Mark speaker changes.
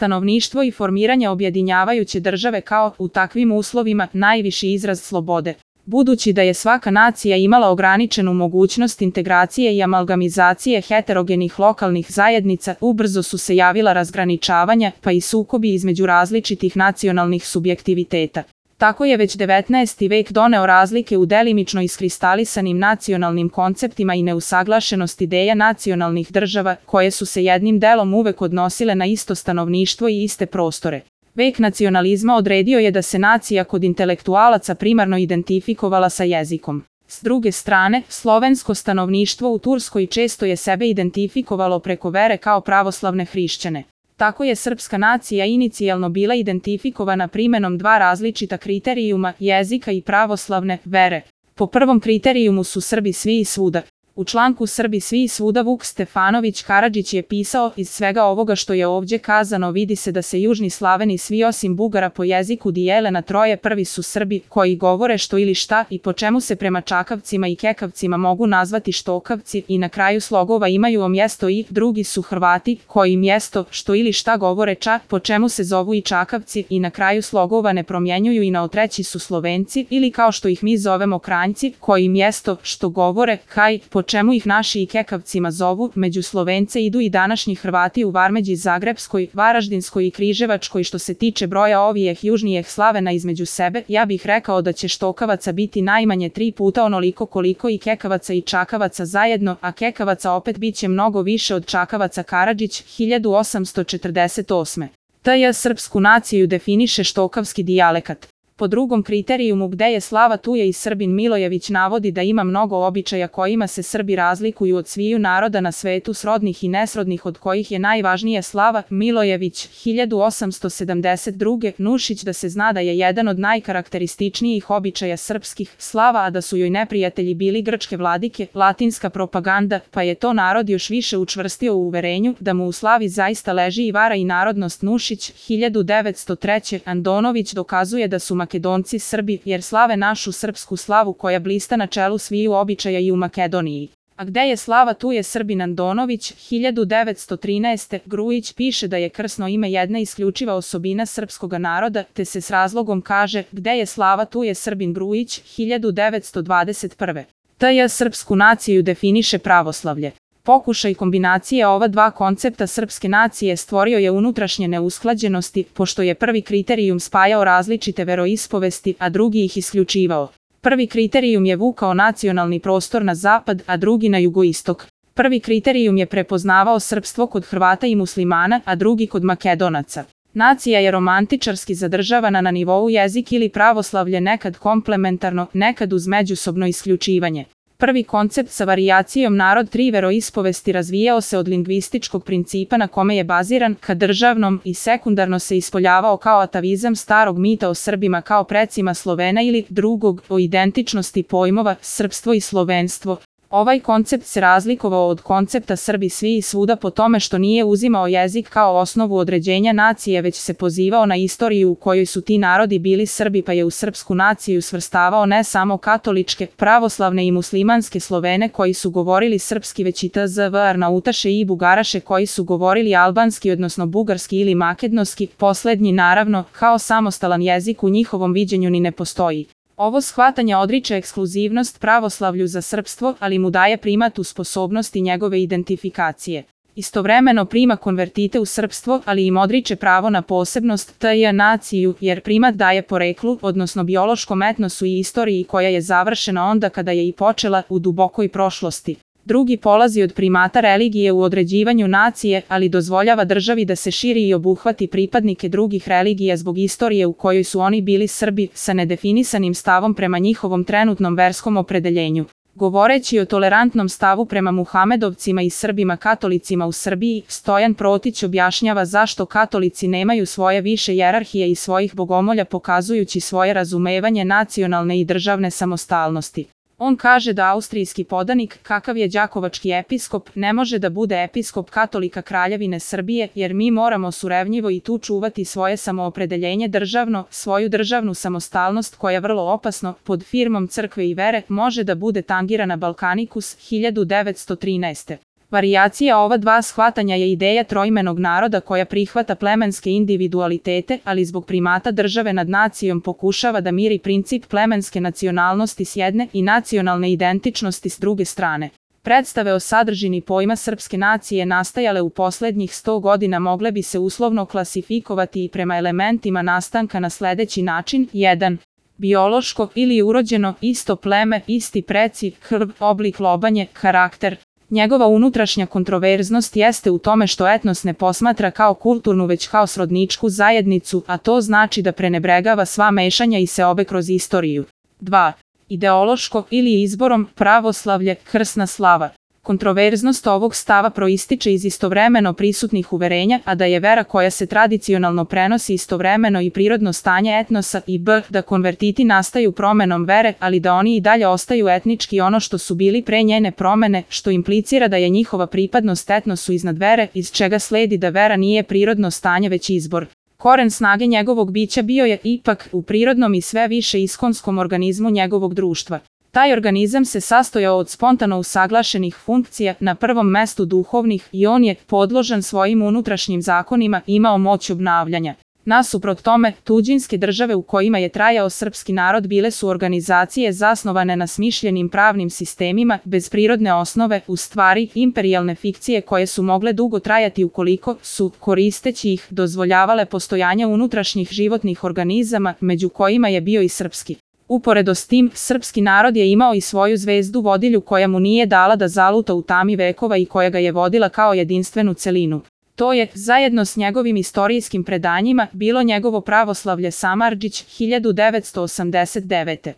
Speaker 1: stanovništvo i formiranje objedinjavajuće države kao, u takvim uslovima, najviši izraz slobode. Budući da je svaka nacija imala ograničenu mogućnost integracije i amalgamizacije heterogenih lokalnih zajednica, ubrzo su se javila razgraničavanja, pa i sukobi između različitih nacionalnih subjektiviteta. Tako je već 19. vek doneo razlike u delimično iskristalisanim nacionalnim konceptima i neusaglašenost ideja nacionalnih država, koje su se jednim delom uvek odnosile na isto stanovništvo i iste prostore. Vek nacionalizma odredio je da se nacija kod intelektualaca primarno identifikovala sa jezikom. S druge strane, slovensko stanovništvo u Turskoj često je sebe identifikovalo preko vere kao pravoslavne hrišćane. Tako je srpska nacija inicijalno bila identifikovana primenom dva različita kriterijuma, jezika i pravoslavne vere. Po prvom kriterijumu su Srbi svi i svuda. U članku Srbi svi i svuda Vuk Stefanović Karadžić je pisao: iz svega ovoga što je ovdje kazano vidi se da se južni Slaveni svi osim Bugara po jeziku dijele na troje. Prvi su Srbi, koji govore što ili šta i po čemu se prema Čakavcima i Kekavcima mogu nazvati Štokavci i na kraju slogova imaju mjesto i. Drugi su Hrvati, koji mjesto što ili šta govore ča, po čemu se zovu i Čakavci i na kraju slogova ne promjenjuju i treći su Slovenci ili kao što ih mi zovemo Kranjci, koji mjesto što govore kaj, po čemu ih naši i Kekavcima zovu. Među Slovence idu i današnji Hrvati u Varmeđi, Zagrebskoj, Varaždinskoj i Križevačkoj. Što se tiče broja ovijeh južnijih Slavena između sebe, ja bih rekao da će Štokavaca biti najmanje 3 puta onoliko koliko i Kekavaca i Čakavaca zajedno, a Kekavaca opet bit će mnogo više od Čakavaca. Karadžić, 1848. T.J. Srpsku naciju definiše štokavski dijalekat. Po drugom kriterijumu gde je slava tu je i Srbin. Milojević navodi da ima mnogo običaja kojima se Srbi razlikuju od sviju naroda na svetu, srodnih i nesrodnih, od kojih je najvažnije slava. Milojević, 1872. Nušić da se zna da je jedan od najkarakterističnijih običaja srpskih slava, a da su joj neprijatelji bili grčke vladike, latinska propaganda, pa je to narod još više učvrstio u uverenju da mu u slavi zaista leži i vara i narodnost. Nušić, 1903. Andonović dokazuje da su Makedonci Srbi, jer slave našu srpsku slavu koja blista na čelu sviju običaja i u Makedoniji. A gde je slava tu je Srbin. Andonović, 1913. Grujić piše da je krsno ime jedna isključiva osobina srpskoga naroda, te se s razlogom kaže gde je slava tu je Srbin. Grujić, 1921. T.J. Srpsku naciju definiše pravoslavlje. Pokušaj kombinacije ova dva koncepta srpske nacije stvorio je unutrašnje neusklađenosti, pošto je prvi kriterijum spajao različite veroispovesti, a drugi ih isključivao. Prvi kriterijum je vukao nacionalni prostor na zapad, a drugi na jugoistok. Prvi kriterijum je prepoznavao srpstvo kod Hrvata i muslimana, a drugi kod Makedonaca. Nacija je romantičarski zadržavana na nivou jezik ili pravoslavlje, nekad komplementarno, nekad uz međusobno isključivanje. Prvi koncept sa varijacijom narod tri veroispovesti razvijao se od lingvističkog principa na kome je baziran ka državnom i sekundarno se ispoljavao kao atavizam starog mita o Srbima kao precima Slovena ili drugog o identičnosti pojmova srpstvo i slovenstvo. Ovaj koncept se razlikovao od koncepta Srbi svi i svuda po tome što nije uzimao jezik kao osnovu određenja nacije, već se pozivao na istoriju u kojoj su ti narodi bili Srbi, pa je u srpsku naciju svrstavao ne samo katoličke, pravoslavne i muslimanske Slovene koji su govorili srpski, već i tzv. Arnautaše i Bugaraše koji su govorili albanski odnosno bugarski ili makedonski, poslednji naravno kao samostalan jezik u njihovom viđenju ni ne postoji. Ovo shvatanje odriče ekskluzivnost pravoslavlju za srpstvo, ali mu daje primat u sposobnosti njegove identifikacije. Istovremeno prima konvertite u srpstvo, ali im odriče pravo na posebnost t.j. naciju, jer primat daje poreklu, odnosno biološkom etnosu i istoriji koja je završena onda kada je i počela u dubokoj prošlosti. Drugi polazi od primata religije u određivanju nacije, ali dozvoljava državi da se širi i obuhvati pripadnike drugih religija zbog istorije u kojoj su oni bili Srbi, sa nedefinisanim stavom prema njihovom trenutnom verskom opredeljenju. Govoreći o tolerantnom stavu prema Muhamedovcima i Srbima katolicima u Srbiji, Stojan Protić objašnjava zašto katolici nemaju svoje više hijerarhije i svojih bogomolja, pokazujući svoje razumevanje nacionalne i državne samostalnosti. On kaže da austrijski podanik, kakav je đakovački episkop, ne može da bude episkop katolika Kraljevine Srbije, jer mi moramo surevnjivo i tu čuvati svoje samoopredeljenje državno, svoju državnu samostalnost koja vrlo opasno, pod firmom crkve i vere, može da bude tangirana. Balkanikus, 1913. Varijacija ova dva shvatanja je ideja troimenog naroda koja prihvata plemenske individualitete, ali zbog primata države nad nacijom pokušava da miri princip plemenske nacionalnosti s jedne i nacionalne identičnosti s druge strane. Predstave o sadržini pojma srpske nacije nastajale u poslednjih 100 godina mogle bi se uslovno klasifikovati i prema elementima nastanka na sledeći način. 1. Biološko ili urođeno, isto pleme, isti preci, krv, oblik, lobanje, karakter. Njegova unutrašnja kontroverznost jeste u tome što etnos ne posmatra kao kulturnu već kao srodničku zajednicu, a to znači da prenebregava sva mešanja i seobe kroz istoriju. 2. Ideološko ili izborom, pravoslavlje, krsna slava. Kontroverznost ovog stava proističe iz istovremeno prisutnih uverenja, a da je vera koja se tradicionalno prenosi istovremeno i prirodno stanje etnosa i b. da konvertiti nastaju promenom vere, ali da oni i dalje ostaju etnički ono što su bili pre njene promene, što implicira da je njihova pripadnost etnosu iznad vere, iz čega sledi da vera nije prirodno stanje već izbor. Koren snage njegovog bića bio je, ipak, u prirodnom i sve više iskonskom organizmu njegovog društva. Taj organizam se sastojao od spontano usaglašenih funkcija, na prvom mestu duhovnih, i on je, podložan svojim unutrašnjim zakonima, imao moć obnavljanja. Nasuprot tome, tuđinske države u kojima je trajao srpski narod bile su organizacije zasnovane na smišljenim pravnim sistemima, bez prirodne osnove, u stvari, imperijalne fikcije koje su mogle dugo trajati ukoliko su, koristeći ih, dozvoljavale postojanje unutrašnjih životnih organizama, među kojima je bio i srpski. Uporedo s tim, srpski narod je imao i svoju zvezdu vodilju koja mu nije dala da zaluta u tami vekova i koja ga je vodila kao jedinstvenu celinu. To je, zajedno s njegovim istorijskim predanjima, bilo njegovo pravoslavlje Samardžić 1989.